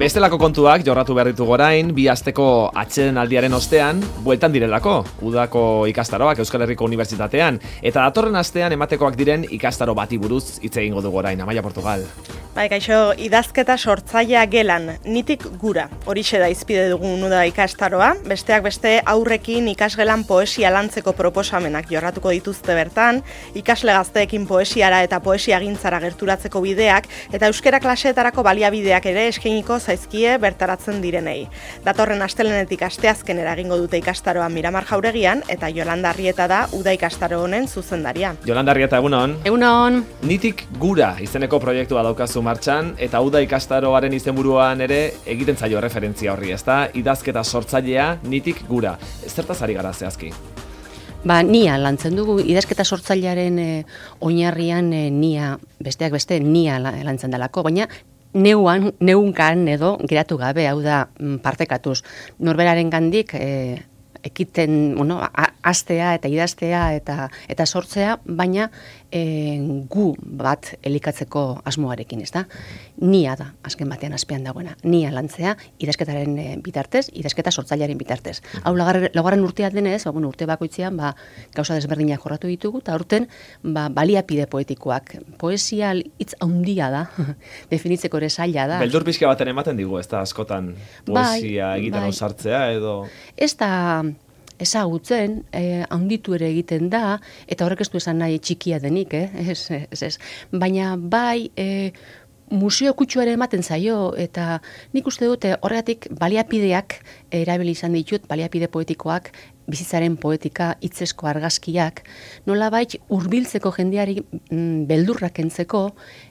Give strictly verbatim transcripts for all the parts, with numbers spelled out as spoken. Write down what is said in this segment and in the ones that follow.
Bestelako kontuak jorratu behar ditugu orain, bi asteko atxeden aldiaren ostean, bueltan direlako, udako ikastaroak Euskal Herriko Unibertsitatean, eta datorren astean ematekoak diren ikastaro bati buruz hitz egingo dugu orain, Amaia Portugal. Bai, kaixo, idazketa sortzailea gelan, nitik gura, horixe da izpide dugun uda ikastaroa, besteak beste aurrekin ikasgelan poesia lantzeko proposamenak jorratuko dituzte bertan, ikasle gazteekin poesiara eta poesia gintzara gerturatzeko bideak, eta euskera klaseetarako baliabideak ere eskainiko zaizkie bertaratzen direnei. Datorren astelenetik asteazkenera egingo dute ikastaroa Miramar Jauregian, eta Yolanda Arrieta da uda ikastaro honen zuzendaria. Yolanda Arrieta, egunon. Egunon. Nitik gura izeneko proiektua daukazu martxan, eta uda ikastaroaren izenburuan ere egiten zaio referentzia horri, ezta? Idazketa sortzailea nitik gura. Zertaz ari gara zehazki? Ba, nia lantzen dugu, idazketa sortzailearen e, oinarrian e, nia, besteak beste, nia lantzen delako, baina neuan, neunkan edo geratu gabe, hau da partekatuz. Norberaren gandik e, ekiten, bueno, astea eta idaztea eta, eta sortzea, baina e, gu bat elikatzeko asmoarekin, ez da? Nia da, azken batean azpean dagoena. Nia lantzea, idazketaren e, bitartez, idazketa sortzailearen bitartez. Hau laugarren urtea denez, ba, bueno, urte bakoitzean, ba, gauza desberdinak jorratu ditugu, eta urten ba, baliapide poetikoak. Poesia hitz handia da, definitzeko ere zaila da. Beldur pixka baten ematen digu, ez da askotan poesia bai, egiten bai. osartzea edo... Ez da ezagutzen, eh, handitu ere egiten da, eta horrek ez du esan nahi txikia denik, eh? ez, ez, ez. Baina bai, eh, museo kutsu ere ematen zaio, eta nik uste dute horregatik baliapideak erabili izan ditut, baliapide poetikoak, bizitzaren poetika, hitzesko argazkiak, nolabait hurbiltzeko jendeari mm, beldurrak kentzeko,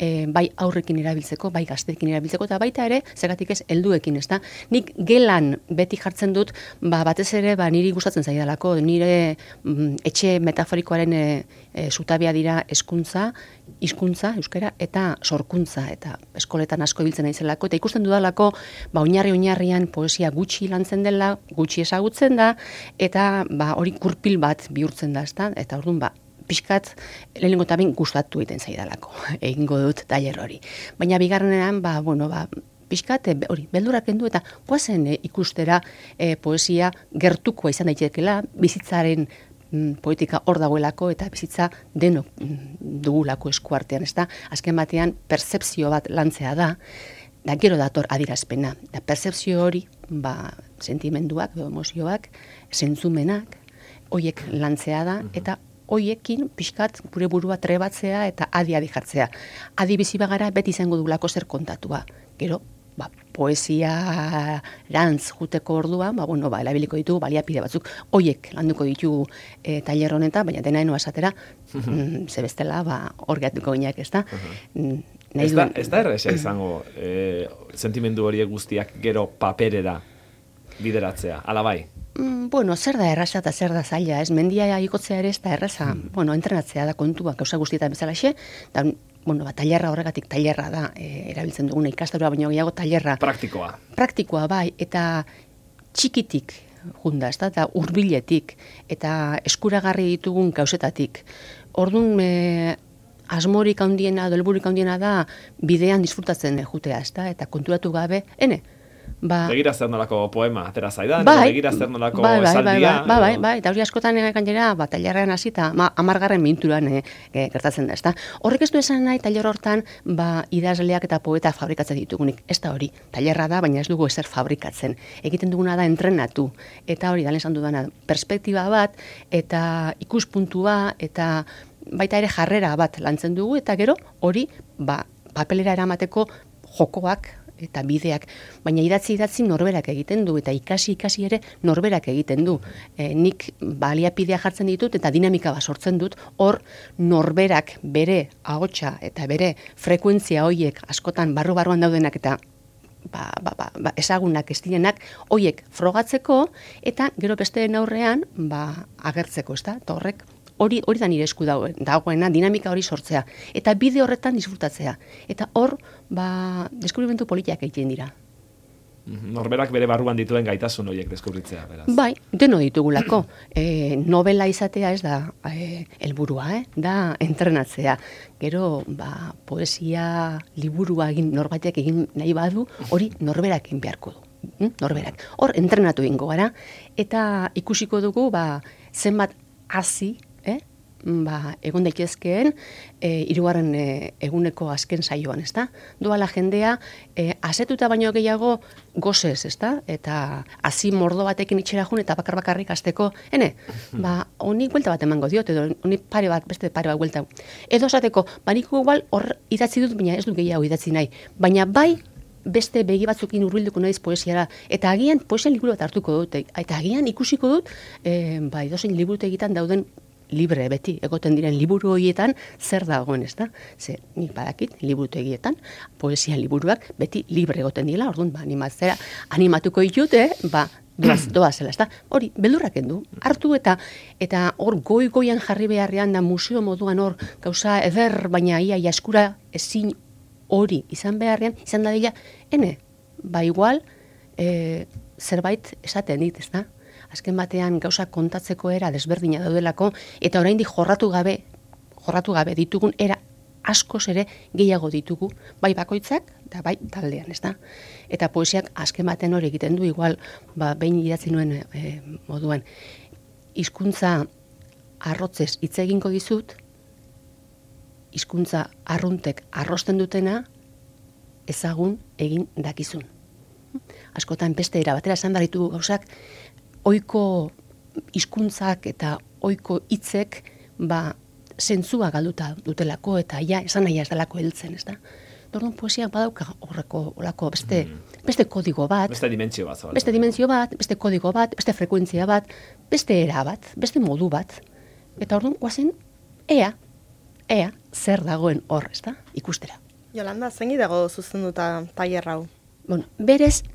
e, bai aurrekin erabiltzeko, bai gazteekin erabiltzeko, eta baita ere, zergatik ez, helduekin, ezta? Nik gelan beti jartzen dut, ba, batez ere, ba, niri gustatzen zaidalako, nire mm, etxe metaforikoaren e, e, zutabia dira hezkuntza, hizkuntza, euskara, eta sorkuntza, eta eskoletan asko ibiltzen naizelako, eta ikusten dudalako, ba, oinarri-oinarrian poesia gutxi lantzen dela, gutxi ezagutzen da, eta ba, hori kurpil bat bihurtzen da, ezta? Eta orduan, ba, pixkat, lehenengo eta bain gustatu egiten zaidalako, egingo dut tailer hori. Baina bigarrenean, ba, bueno, ba, pixkat, hori, beldurak kendu eta goazen e, ikustera e, poesia gertukoa izan daitekeela, bizitzaren mm, poetika hor dagoelako eta bizitza denok mm, dugulako eskuartean, ezta? Azken batean, pertzepzio bat lantzea da, da gero dator adirazpena. Da pertzepzio hori, ba, sentimenduak, emozioak, zentzumenak, hoiek lantzea da, eta hoiekin pixkat gure burua trebatzea eta adi-adi jartzea. Adi bizi bagara beti izango dugulako zer kontatua. Gero, ba, poesia rantz juteko orduan, ba, bueno, ba, elabiliko ditugu baliapide batzuk, hoiek landuko ditugu e, tailer honetan, baina dena enoa esatera, mm, ze bestela, ba, hor gehatuko gineak, ez da? Mm, Ez da, ez da erresa izango e, sentimendu horiek guztiak gero paperera bideratzea, ala bai? Mm, bueno, zer da erraza eta zer da zaila, ez? Mendia ikotzea ere ez da erraza, mm. bueno, entrenatzea da kontua, gauza guztietan bezalaxe, eta, bueno, ba, tailerra horregatik tailerra da, e, erabiltzen duguna ikastaroa, baina gehiago tailerra. Praktikoa. Praktikoa, bai, eta txikitik junda, ez da, eta hurbiletik, eta eskuragarri ditugun gauzetatik. Orduan, e, asmorik handiena, helbururik handiena da bidean disfrutatzen jutea, ezta? Eta konturatu gabe, ene, ba... Begira zer nolako poema, atera zaidan, bai, begira zer nolako bai, bai, esaldia. Bai, bai, bai, bai, eta hori askotan gainera, ba, tailerrean hasita, ma, amargarren minturan e, e, gertatzen da, ezta? Horrek ez du esan nahi, tailer hortan, ba, idazleak eta poeta fabrikatzen ditugunik. Ez da hori, tailerra da, baina ez dugu ezer fabrikatzen. Egiten duguna da entrenatu, eta hori, dalen esan dudana, perspektiba bat, eta ikuspuntua, eta baita ere jarrera bat lantzen dugu, eta gero hori ba, papelera eramateko jokoak eta bideak, baina idatzi idatzi norberak egiten du, eta ikasi ikasi ere norberak egiten du. E, nik baliapidea jartzen ditut, eta dinamika bat sortzen dut, hor norberak bere ahotsa eta bere frekuentzia hoiek askotan barru-barruan daudenak eta ba, ba, ba, ba, ezagunak ez direnak, hoiek frogatzeko, eta gero besteen aurrean ba, agertzeko, ez da? Eta horrek hori hori da nire esku dagoena, dinamika hori sortzea. Eta bide horretan disfrutatzea. Eta hor, ba, deskubrimentu politiak egiten dira. Norberak bere barruan dituen gaitasun horiek deskubritzea, beraz. Bai, deno ditugulako. E, novela izatea ez da e, helburua, eh? Da entrenatzea. Gero, ba, poesia liburua egin norbaitek egin nahi badu, hori norberak egin beharko du. Hm? Norberak. Hor, entrenatu egingo gara, eta ikusiko dugu, ba, zenbat hasi, eh? Ba, egon daitezkeen e, hirugarren e, eguneko azken saioan, ezta? Doala jendea e, asetuta baino gehiago gozez, ezta? Eta hasi mordo batekin itxera jun eta bakar bakarrik hasteko, ene, ba, honi buelta bat emango diot, edo honi pare bat, beste pare bat buelta. Edo esateko, ba, nik igual hor idatzi dut, baina ez dut gehiago idatzi nahi. Baina bai, beste begi batzukin hurbilduko naiz poesiara, eta agian poesia liburu bat hartuko dut, eta agian ikusiko dut, e, ba, edozein liburutegitan dauden libre beti egoten diren liburu horietan zer dagoen, ez da? Ze, nik badakit, liburutegietan, poesia liburuak beti libre egoten dira, orduan, ba, animatzera, animatuko ditute, ba, doaz, doazela, ez da? Hori, beldurrak endu, hartu eta eta hor goi-goian jarri beharrean da museo moduan hor, gauza eder, baina ia jaskura ezin hori izan beharrean, izan da dira, ene, ba igual, e, zerbait esaten dit, ez da? Azken batean gauza kontatzeko era desberdina daudelako, eta oraindik jorratu gabe, jorratu gabe ditugun era askoz ere gehiago ditugu, bai bakoitzak, eta bai taldean, ez da? Eta poesiak azken batean hori egiten du, igual, ba, behin idatzi nuen e, moduan, hizkuntza arrotzez hitz egingo dizut, hizkuntza arruntek arrosten dutena, ezagun egin dakizun. Askotan beste era batera esan behar ditugu gauzak, ohiko hizkuntzak eta ohiko hitzek ba zentzua galduta dutelako eta ja esan nahi ez delako heltzen, ezta? Orduan poesia badauka horreko olako beste mm. beste kodigo bat, beste dimentsio bat, zabal. Beste dimentsio bat, beste kodigo bat, beste frekuentzia bat, beste era bat, beste modu bat. Eta orduan goazen ea ea zer dagoen hor, ezta? Ikustera. Jolanda, zein dago zuzenduta tailer hau? Bueno, berez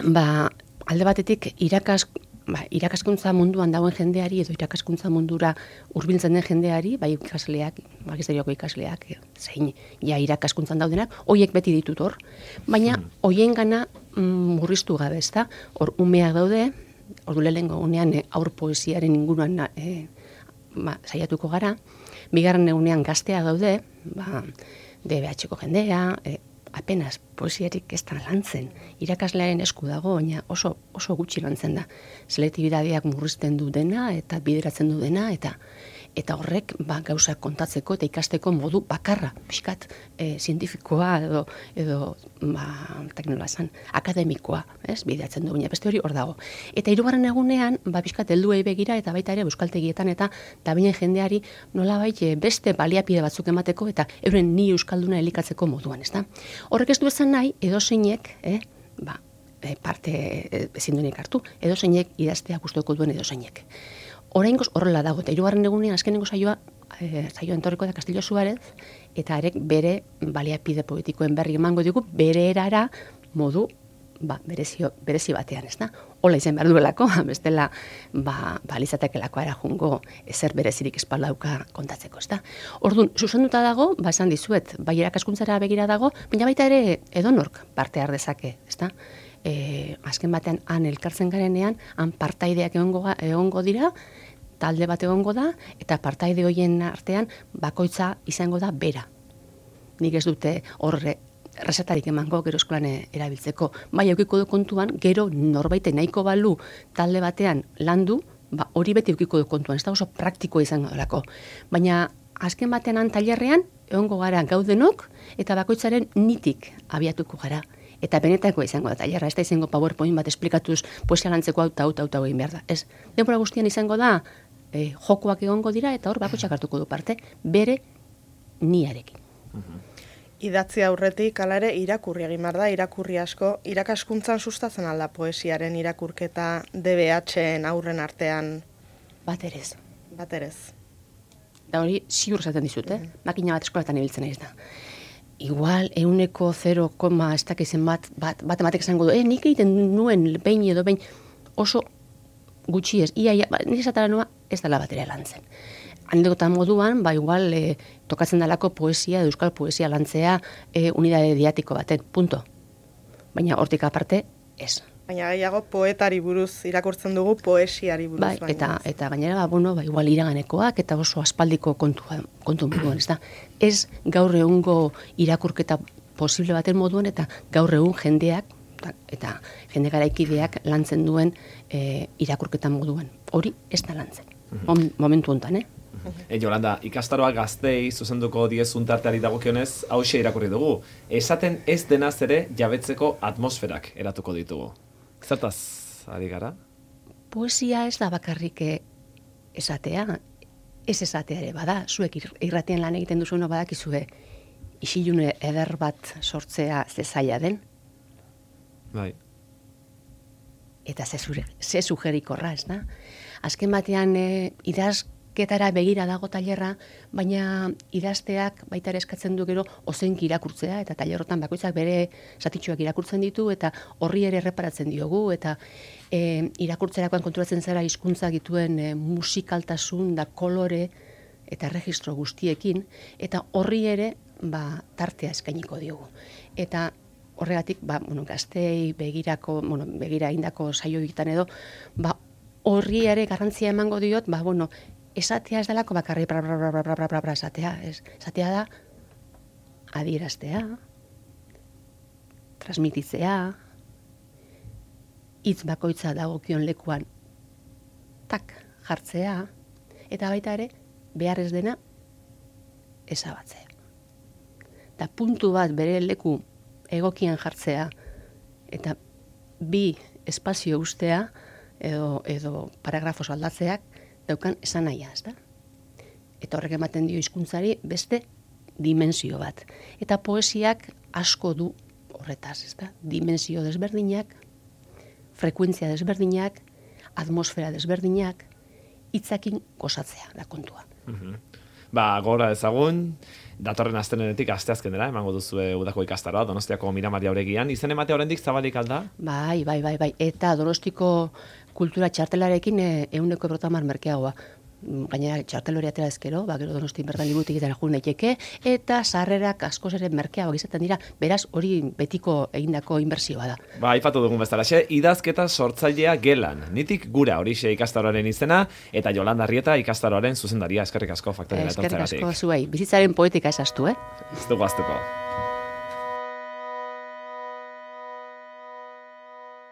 ba alde batetik irakas, ba, irakaskuntza munduan dagoen jendeari edo irakaskuntza mundura hurbiltzen den jendeari, bai ikasleak, magisterioko ikasleak, zein ja irakaskuntzan daudenak, hoiek beti ditut hor, baina hoiengana mm, murriztu gabe, ezta? Hor umeak daude, ordu lehengo unean e, aur poesiaren inguruan e, ba, saiatuko gara, bigarren egunean gaztea daude, ba, D B H-ko jendea, e, apenas poesiarik ez da lantzen. Irakaslearen esku dago, baina oso, oso gutxi lantzen da. Selektibidadeak murrizten du dena eta bideratzen du dena, eta eta horrek ba, gauzak kontatzeko eta ikasteko modu bakarra, pixkat e, zientifikoa edo, edo ba, teknologizan, akademikoa, ez, bideratzen du, baina beste hori hor dago. Eta hirugarren egunean, ba, pixkat helduei begira eta baita ere euskaltegietan eta tabinen jendeari nolabait beste baliapide batzuk emateko eta euren ni euskalduna elikatzeko moduan, ezta? Horrek ez du esan nahi, edozeinek, eh, ba, e, parte e, ezin duenik hartu, edozeinek idaztea gustoko duen edozeinek. Oraingoz horrela dago, eta hirugarren egunean azkenengo saioa, e, saioa entorriko da Castillo Suárez, eta arek bere baliapide poetikoen berri emango digu, bere erara modu ba, berezio, berezi batean, ez da? Hola izan behar duelako, bestela ba, ba lizatekelako ara jungo ezer berezirik espaldauka kontatzeko, ez da? Orduan, zuzenduta dago, ba esan dizuet, bai irakaskuntzara begira dago, baina baita ere edonork parte har dezake, ez da? E, azken batean han elkartzen garenean, han partaideak egongo, egongo dira, talde bat egongo da, eta partaide horien artean bakoitza izango da bera. Nik ez dute horre resetarik emango gero eskolan erabiltzeko. Bai, eukiko du kontuan, gero norbaite nahiko balu talde batean landu, ba, hori beti eukiko du kontuan, ez da oso praktikoa izango delako. Baina azken batean han tailerrean, egongo gara gaudenok, eta bakoitzaren nitik abiatuko gara. Eta benetako izango da tailerra, ez da izango PowerPoint bat esplikatuz poesia lantzeko hau eta hau eta hau egin behar da. Ez, denbora guztian izango da, e, jokoak egongo dira, eta hor bakoitzak hartuko du parte, bere niarekin. Idatzi aurretik, hala ere, irakurri egin behar da, irakurri asko, irakaskuntzan sustatzen alda poesiaren irakurketa D B H-en aurren artean? Bat erez. Bat erez. Da hori, ziur esaten dizut, eh? Makina bat eskolatan ibiltzen naiz da. Igual, euneko zero koma ez dakizen bat, bat, bat ematek esango du, eh, nik egiten nuen behin edo behin oso gutxi ez, ia, ia, ba, nire esatara nua ez dela batera lantzen. Anedotan moduan, ba, igual, e, tokatzen dalako poesia, euskal poesia lantzea e, unidade didatiko baten, punto. Baina hortik aparte, ez. Baina gehiago poetari buruz irakurtzen dugu, poesiari buruz. Bai, eta, eta gainera, ba, bueno, ba, igual iraganekoak, eta oso aspaldiko kontua, kontu moduan, ez da. Ez gaur egungo irakurketa posible baten moduan, eta gaur egun jendeak, eta jende garaikideak lantzen duen e, irakurketan moduan. Hori ez da lantzen, mm-hmm. momentu honetan, eh? E, Jolanda, ikastaroa gaztei zuzenduko diezun tarteari dagokionez, hauxe irakurri dugu. Esaten ez denaz ere jabetzeko atmosferak eratuko ditugu. Zertaz, ari gara? Poesia ez da bakarrik esatea, ez esatea ere bada, zuek irratian lan egiten duzueno badakizue isilune eder bat sortzea ze zaila den. Bai. Eta ze, ze sugerikorra, ez da? Azken batean e, idazketara begira dago tailerra, baina idazteak baita ere eskatzen du gero ozenki irakurtzea, eta tailerrotan bakoitzak bere zatitxoak irakurtzen ditu, eta horri ere erreparatzen diogu, eta e, irakurtzerakoan konturatzen zara hizkuntza dituen e, musikaltasun da kolore eta registro guztiekin, eta horri ere ba, tartea eskainiko diogu. Eta horregatik, ba, bueno, gaztei begirako, bueno, begira indako saio egiten edo, ba, horri ere garrantzia emango diot, ba, bueno, esatea ez delako bakarri bra, bra, bra, bra, bra, bra, bra, esatea, ez. Esatea da, adieraztea, transmititzea, hitz bakoitza dagokion lekuan, tak, jartzea, eta baita ere, behar ez dena, ezabatzea. Da puntu bat bere leku egokian jartzea, eta bi espazio ustea, edo, edo paragrafos aldatzeak, daukan esan nahia, ez da? Eta horrek ematen dio hizkuntzari beste dimensio bat. Eta poesiak asko du horretaz, ez da? Dimensio desberdinak, frekuentzia desberdinak, atmosfera desberdinak, hitzakin gozatzea da kontua. Mm-hmm. Ba, gora ezagun, datorren astenenetik asteazkenera emango duzue udako ikastaroa Donostiako Miramar Jauregian. Izen ematea oraindik zabalik alda? Bai, bai, bai, bai. Eta Donostiko kultura txartelarekin ehuneko berrotamar merkeagoa. Gainera txartel hori atera ezkero, ba, gero Donostin bertan liburutegietara joan daiteke, eta sarrerak askoz ere merkeagoak izaten dira, beraz hori betiko egindako inbertsioa da. Ba, aipatu dugun bezalaxe, idazketa sortzailea gelan. Nitik gura horixe ikastaroaren izena, eta Jolanda Arrieta ikastaroaren zuzendaria. Eskerrik asko faktorera etortzeagatik. Eskerrik asko zuei, bizitzaren poetika esaztu, eh? Ez dugu aztuko.